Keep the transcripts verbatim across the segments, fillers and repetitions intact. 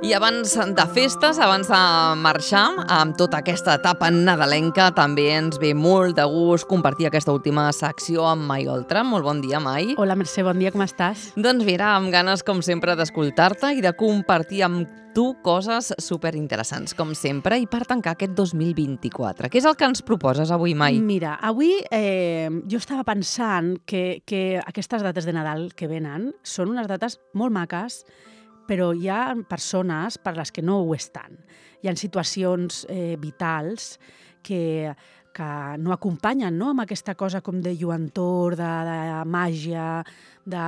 I abans de festes, abans de marxar, amb tota aquesta etapa nadalenca, també ens ve molt de gust compartir aquesta última secció amb Mai Oltra. Molt bon dia, Mai. Hola, Mercè, bon dia, com estàs? Doncs mira, amb ganes, com sempre, d'escoltar-te i de compartir amb tu coses superinteressants, com sempre, i per tancar aquest dos mil vint-i-quatre. Què és el que ens proposes avui, Mai? Mira, avui eh, jo estava pensant que, que aquestes dates de Nadal que venen són unes dates molt maques, però hi ha persones per les que no ho estan. Hi ha situacions eh, vitals que, que no acompanyen, no?, amb aquesta cosa com de lluentor, de, de màgia, de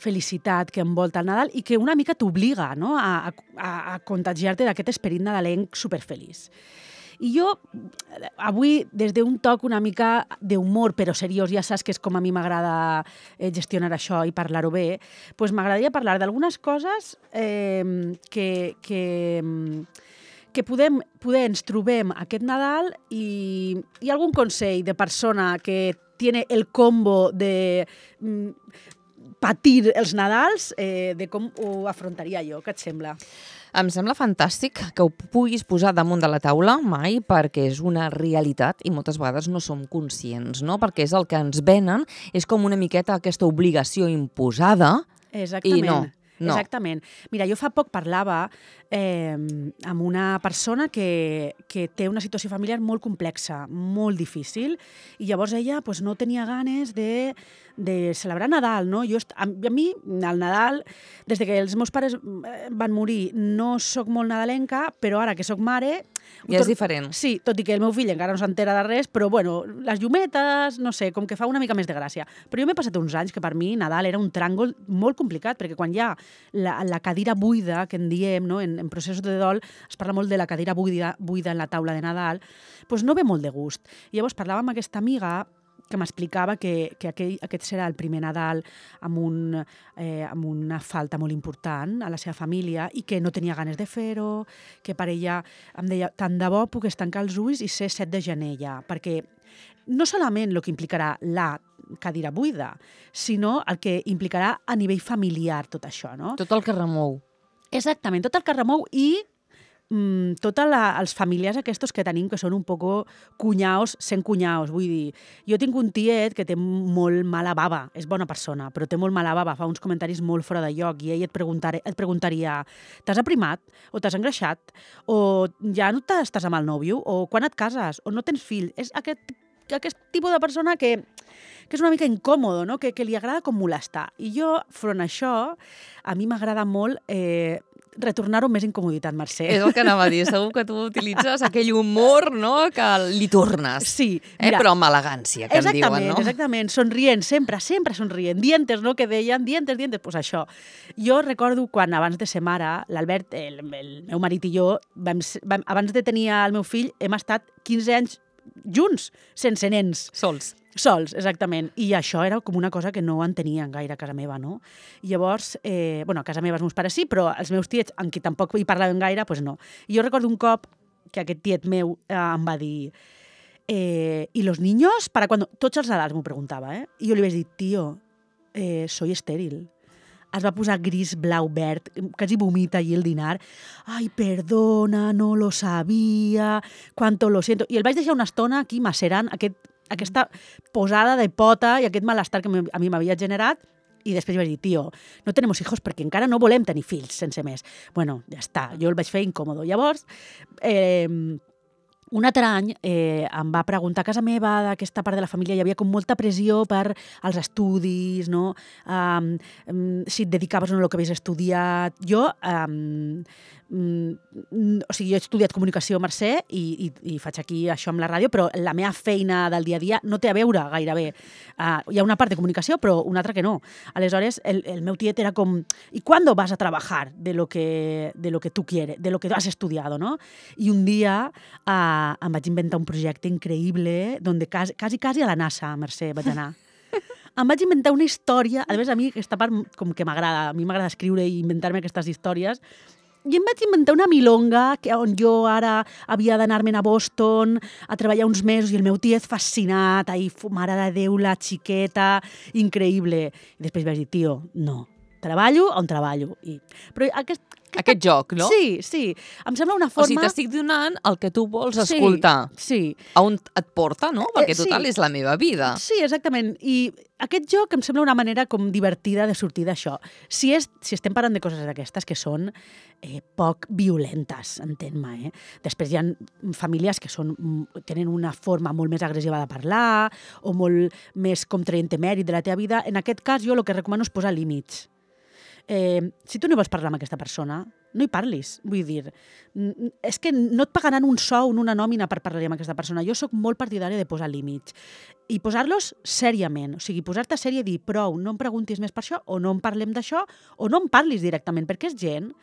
felicitat que envolta el Nadal i que una mica t'obliga, no?, a, a, a contagiar-te d'aquest esperit nadalenc superfeliç. I jo, avui, des d'un toc una mica d'humor, però seriós, ja saps que és com a mi m'agrada eh, gestionar això i parlar-ho bé, doncs m'agradaria parlar d'algunes coses eh, que, que, que podem, poder ens trobem aquest Nadal i, i algun consell de persona que tiene el combo de mm, patir els Nadals, eh, de com ho afrontaria jo. Què et sembla? Em sembla fantàstic que ho puguis posar damunt de la taula, Mai, perquè és una realitat i moltes vegades no som conscients, no? Perquè és el que ens venen, és com una miqueta aquesta obligació imposada. Exactament. I no. No. Exactament. Mira, jo fa poc parlava eh, amb una persona que, que té una situació familiar molt complexa, molt difícil, i llavors ella pues, no tenia ganes de, de celebrar Nadal, no? Jo, a, a mi, el Nadal, des que els meus pares van morir, no sóc molt nadalenca, però ara que sóc mare... Ja és diferent. Sí, tot i que el meu fill encara no s'entera de res, però bueno, les llumetes, no sé, com que fa una mica més de gràcia. Però jo m'he passat uns anys que per mi Nadal era un tràngol molt complicat, perquè quan hi ha la, la cadira buida, que en diem, no? en, en processos de dol, es parla molt de la cadira buida, buida en la taula de Nadal, doncs no ve molt de gust. I llavors parlava amb aquesta amiga que m'explicava que, que aquell, aquest serà el primer Nadal amb, un, eh, amb una falta molt important a la seva família i que no tenia ganes de fer-ho, que per ella em deia, tant de bo puc tancar els ulls i ser set de gener ja, perquè no solament el que implicarà la cadira buida, sinó el que implicarà a nivell familiar tot això, no? Tot el que remou. Exactament, tot el que remou i mm, tots els familiars aquests que tenim que són un poco cunyaos sent cunyaos, vull dir, jo tinc un tiet que té molt mala bava, és bona persona, però té molt mala bava, fa uns comentaris molt fora de lloc i ell et, et preguntaria t'has aprimat? O t'has engreixat? O ja no estàs amb el nòvio? O quan et cases? O no tens fill? És aquest, aquest tipus de persona que, que és una mica incòmodo, no? que, que li agrada com molestar. I jo, front a això, a mi m'agrada molt eh, retornar-ho amb més incomoditat, Mercè. És el que anava a dir, segur que tu utilitzes aquell humor, no?, que li tornes. Sí. Mira, eh? Però amb elegància, que en diuen, no? Exactament, somrient, sempre, sempre somrient. Dientes, no?, que deien, dientes, dientes, doncs pues això. Jo recordo quan, abans de ser mare, l'Albert, el, el meu marit i jo, vam, vam, abans de tenir el meu fill, hem estat quinze anys junts, sense nens. Sols. Sols, exactament. I això era com una cosa que no entenien gaire a casa meva, no? I llavors, eh, bueno, a casa meva els meus pares sí, però els meus tiets, amb qui tampoc hi parlaven gaire, doncs no. I jo recordo un cop que aquest tiet meu eh, em va dir eh, ¿y los niños? ¿Para cuándo? Tots els Nadals m'ho preguntava, eh? I jo li vaig dir, tio, eh, soy estèril. Es va posar gris, blau, verd, quasi vomita allí el dinar. Ai, perdona, no lo sabia, cuánto lo siento. I el vaig deixar una estona aquí macerant aquest, aquesta posada de pota i aquest malestar que a mi m'havia generat. I després vaig dir, tio, no tenemos hijos perquè encara no volem tenir fills sense més. Bueno, ja està, jo el vaig fer incòmodo. Llavors, eh, un altre any eh, em va preguntar a casa meva d'aquesta part de la família, hi havia com molta pressió per als estudis, no? Um, um, si et dedicaves o no al que havies estudiat. Jo, um, um, o sigui, jo he estudiat comunicació, Mercè, i, i, i faig aquí això amb la ràdio, però la meva feina del dia a dia no té a veure gairebé. Uh, hi ha una part de comunicació, però una altra que no. Aleshores, el, el meu tiet era com, ¿y cuándo vas a trabajar de lo que, de lo que tú quieres, de lo que has estudiado, no? I un dia uh, em vaig inventar un projecte increïble donde quasi, quasi, quasi a la NASA, Mercè, vaig anar. Em vaig inventar una història, a més a mi aquesta part com que m'agrada, a mi m'agrada escriure i inventar-me aquestes històries, i em vaig inventar una milonga que, on jo ara havia d'anar-me'n a Boston a treballar uns mesos i el meu tiet fascinat, ahí, mare de Déu, la xiqueta, increïble. I després vaig dir, tio, no, treballo on treballo. I... Però aquest, aquest joc, no? Sí, sí. Em sembla una O forma... sigui, t'estic donant el que tu vols Sí, escoltar. sí. A on et porta, no? Perquè, Eh, sí. total, és la meva vida. Sí, exactament. I aquest joc em sembla una manera com divertida de sortir d'això. Si, és, si estem parlant de coses d'aquestes que són eh, poc violentes, entén-me, eh? Després hi ha famílies que són, tenen una forma molt més agressiva de parlar o molt més com traient mèrit de la teva vida. En aquest cas, jo el que recomano és posar límits. Eh, si tu no vols parlar amb aquesta persona, no hi parlis. Vull dir, és que no et pagaran un sou ni una nòmina per parlar amb aquesta persona. Jo sóc molt partidària de posar límits i posar-los sèriament. O sigui, posar-te sèrie i dir prou, no em preguntis més per això, o no en parlem d'això, o no en parlis directament, perquè és gent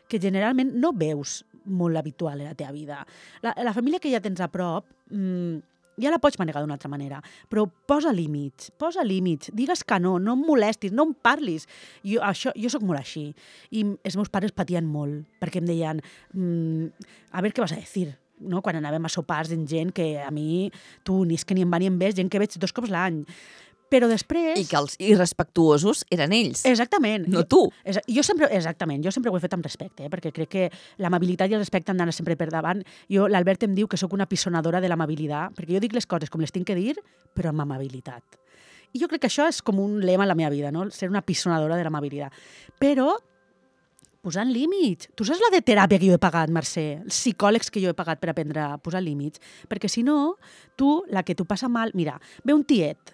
que generalment no veus molt habitual a la teva vida. La, la família que ja tens a prop... Mmm, ja la pots manegar d'una altra manera, però posa límits, posa límits, digues que no, no em molestis, no em parlis. Jo, això, jo sóc molt així, i els meus pares patien molt, perquè em deien, mmm, a veure què vas a dir, no? Quan anàvem a sopars amb gent que a mi, tu, ni és que ni em va ni em ves, gent que veig dos cops l'any. Però després... I que els irrespectuosos eren ells. Exactament. No tu. Jo, jo sempre, exactament, jo sempre ho he fet amb respecte, eh? Perquè crec que l'amabilitat i el respecte han d'anar sempre per davant. Jo, l'Albert em diu que sóc una pisonadora de l'amabilitat, perquè jo dic les coses com les tinc que dir, però amb amabilitat. I jo crec que això és com un lema en la meva vida, no? Ser una pisonadora de l'amabilitat. Però posant límits. Tu saps la de teràpia que jo he pagat, Mercè? Els psicòlegs que jo he pagat per aprendre a posar límits? Perquè si no, tu, la que tu passa mal... Mira, ve un tiet,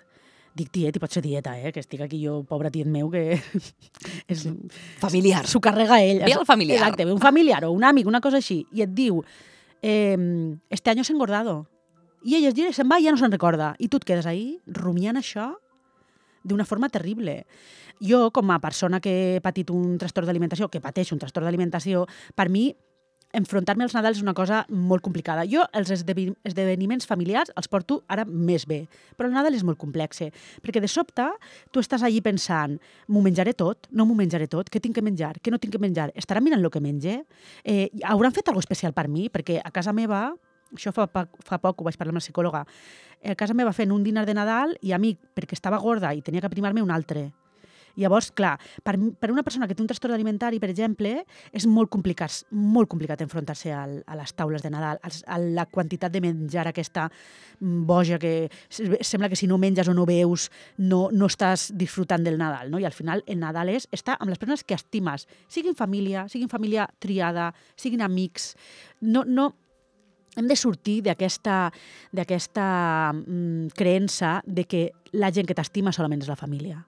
dic tiet i pot ser tieta, eh? Que estic aquí jo, pobre tiet meu, que és... Familiar. S'ho carrega ell. Ve el familiar. Exacte, ve un familiar o un amic, una cosa així, i et diu eh, este año s'ha engordado. I ell es gira, se'n va i ja no se'n recorda. I tu et quedes ahí rumiant això d'una forma terrible. Jo, com a persona que he patit un trastorn d'alimentació, que pateix un trastorn d'alimentació, per mi enfrontar-me als Nadals és una cosa molt complicada. Jo els esdeveniments familiars els porto ara més bé, però el Nadal és molt complex, perquè de sobte tu estàs allí pensant, m'ho menjaré tot, no m'ho menjaré tot, què tinc que menjar, què no tinc que menjar, estaran mirant el que menge, eh, hauran fet alguna especial per mi, perquè a casa meva, això fa, fa poc ho vaig parlar amb la psicòloga, a casa meva fent un dinar de Nadal i a mi, perquè estava gorda i tenia que primar-me un altre. Llavors, clar, per, per una persona que té un trastorn alimentari, per exemple, és molt complicat, molt complicat enfrontar-se al, a les taules de Nadal, a la quantitat de menjar aquesta boja que sembla que si no menges o no veus no, no estàs disfrutant del Nadal, no? I al final el Nadal és estar amb les persones que estimes, siguin família, siguin família triada, siguin amics, no... no hem de sortir d'aquesta d'aquesta mm, creença de que la gent que t'estima solament és la família.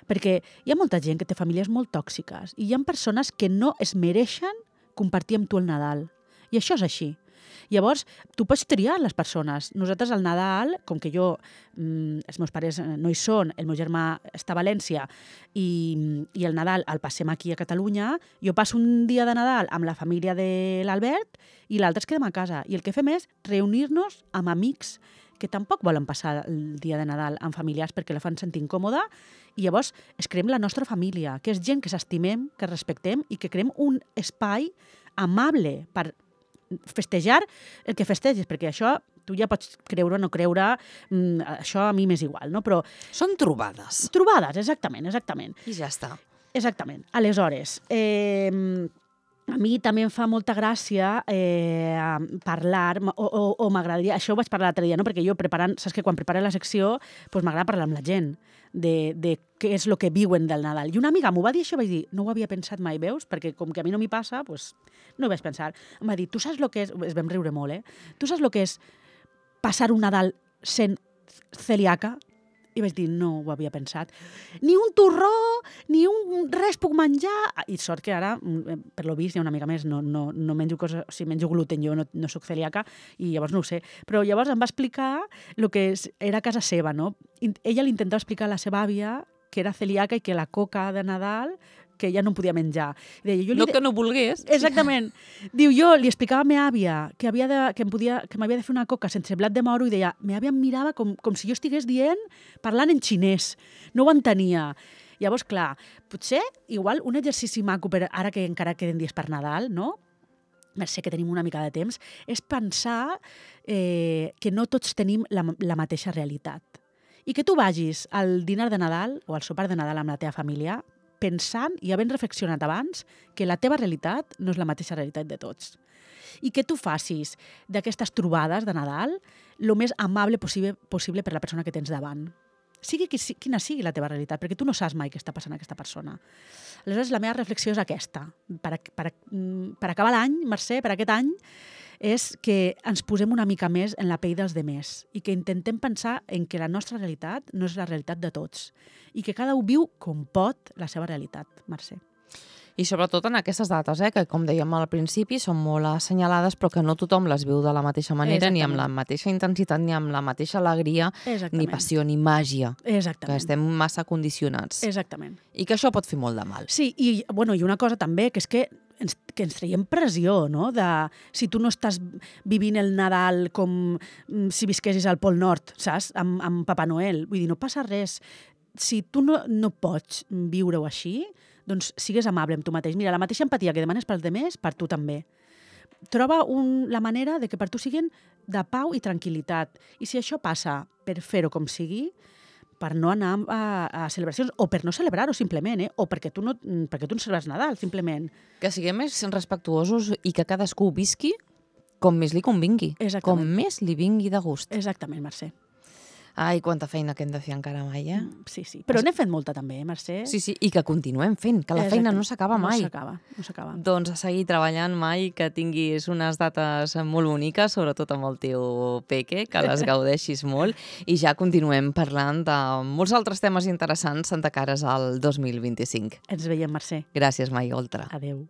Perquè hi ha molta gent que té famílies molt tòxiques i hi ha persones que no es mereixen compartir amb tu el Nadal. I això és així. Llavors, tu pots triar les persones. Nosaltres al Nadal, com que jo, mmm, els meus pares no hi són, el meu germà està a València i, i el Nadal el passem aquí a Catalunya, jo passo un dia de Nadal amb la família de l'Albert i l'altre es quedem a casa. I el que fem és reunir-nos amb amics que tampoc volen passar el dia de Nadal amb familiars perquè la fan sentir incòmoda i llavors es creem la nostra família, que és gent que s'estimem, que respectem i que creem un espai amable per festejar el que festeges, perquè això tu ja pots creure o no creure, mmm, això a mi m'és igual, no? Però... Són trobades. Trobades, exactament, exactament. I ja està. Exactament. Aleshores, eh, a mi també em fa molta gràcia eh, parlar, o, o, o m'agradaria, això ho vaig parlar l'altre dia, no? Perquè jo preparant, saps que quan preparo la secció, doncs m'agrada parlar amb la gent de, de què és el que viuen del Nadal. I una amiga m'ho va dir això, vaig dir, no ho havia pensat mai, veus? Perquè com que a mi no m'hi passa, doncs no ho vaig pensar. Em va dir, tu saps el que és, es vam riure molt, eh? Tu saps el que és passar un Nadal sent celíaca? I vaig dir, no ho havia pensat. Ni un torró, ni un res puc menjar. I sort que ara, per lo vist, hi ha una mica més, no, no, no menjo coses, o sigui, menjo gluten, jo no, no soc celíaca, i llavors no ho sé. Però llavors em va explicar el que era casa seva, no? I ella li intentava explicar a la seva àvia que era celíaca i que la coca de Nadal que ja no podia menjar. Deia, jo li no de... que no volgués. Exactament. Diu, jo li explicava a meva àvia que, havia de, que, em podia, que m'havia de fer una coca sense blat de moro i deia, meva àvia em mirava com, com si jo estigués dient, parlant en xinès. No ho entenia. Llavors, clar, potser, igual, un exercici maco, per, ara que encara queden dies per Nadal, no? Mercè que tenim una mica de temps, és pensar eh, que no tots tenim la, la mateixa realitat. I que tu vagis al dinar de Nadal o al sopar de Nadal amb la teva família, pensant i havent reflexionat abans que la teva realitat no és la mateixa realitat de tots. I que tu facis d'aquestes trobades de Nadal el més amable possible, possible per la persona que tens davant. Sigui qui, quina sigui la teva realitat, perquè tu no saps mai què està passant a aquesta persona. Aleshores, la meva reflexió és aquesta. Per, per, per acabar l'any, Mercè, per aquest any, és que ens posem una mica més en la pell dels demés i que intentem pensar en que la nostra realitat no és la realitat de tots i que cada un viu com pot la seva realitat, Mercè. I sobretot en aquestes dates, eh, que com dèiem al principi són molt assenyalades però que no tothom les viu de la mateixa manera, Exactament. Ni amb la mateixa intensitat, ni amb la mateixa alegria, Exactament. Ni passió, ni màgia. Exactament. Que estem massa condicionats. Exactament. I que això pot fer molt de mal. Sí, i, bueno, i una cosa també, que és que ens, que ens traiem pressió, no? De, si tu no estàs vivint el Nadal com si visquessis al Pol Nord, saps? Amb, amb Papa Noel. Vull dir, no passa res. Si tu no, no pots viure-ho així, doncs sigues amable amb tu mateix. Mira, la mateixa empatia que demanes pels demés, per tu també. Troba un, la manera de que per tu siguin de pau i tranquil·litat. I si això passa per fer-ho com sigui, per no anar a, a celebracions, o per no celebrar-ho simplement, eh? O perquè tu, no, perquè tu no celebres Nadal, simplement. Que siguem més respectuosos i que cadascú visqui com més li convingui. Exactament. Com més li vingui de gust. Exactament, Mercè. Ai, quanta feina que hem de fer encara mai, eh? Sí, sí. Però n'hem fet molta també, eh, Mercè? Sí, sí, i que continuem fent, que la feina no s'acaba mai. No s'acaba, no s'acaba. Doncs a seguir treballant, Mai, que tinguis unes dates molt boniques, sobretot amb el teu peque, que les gaudeixis molt, i ja continuem parlant de molts altres temes interessants de cares al dos mil vint-i-cinc. Ens veiem, Mercè. Gràcies, Mai Oltra. Adéu.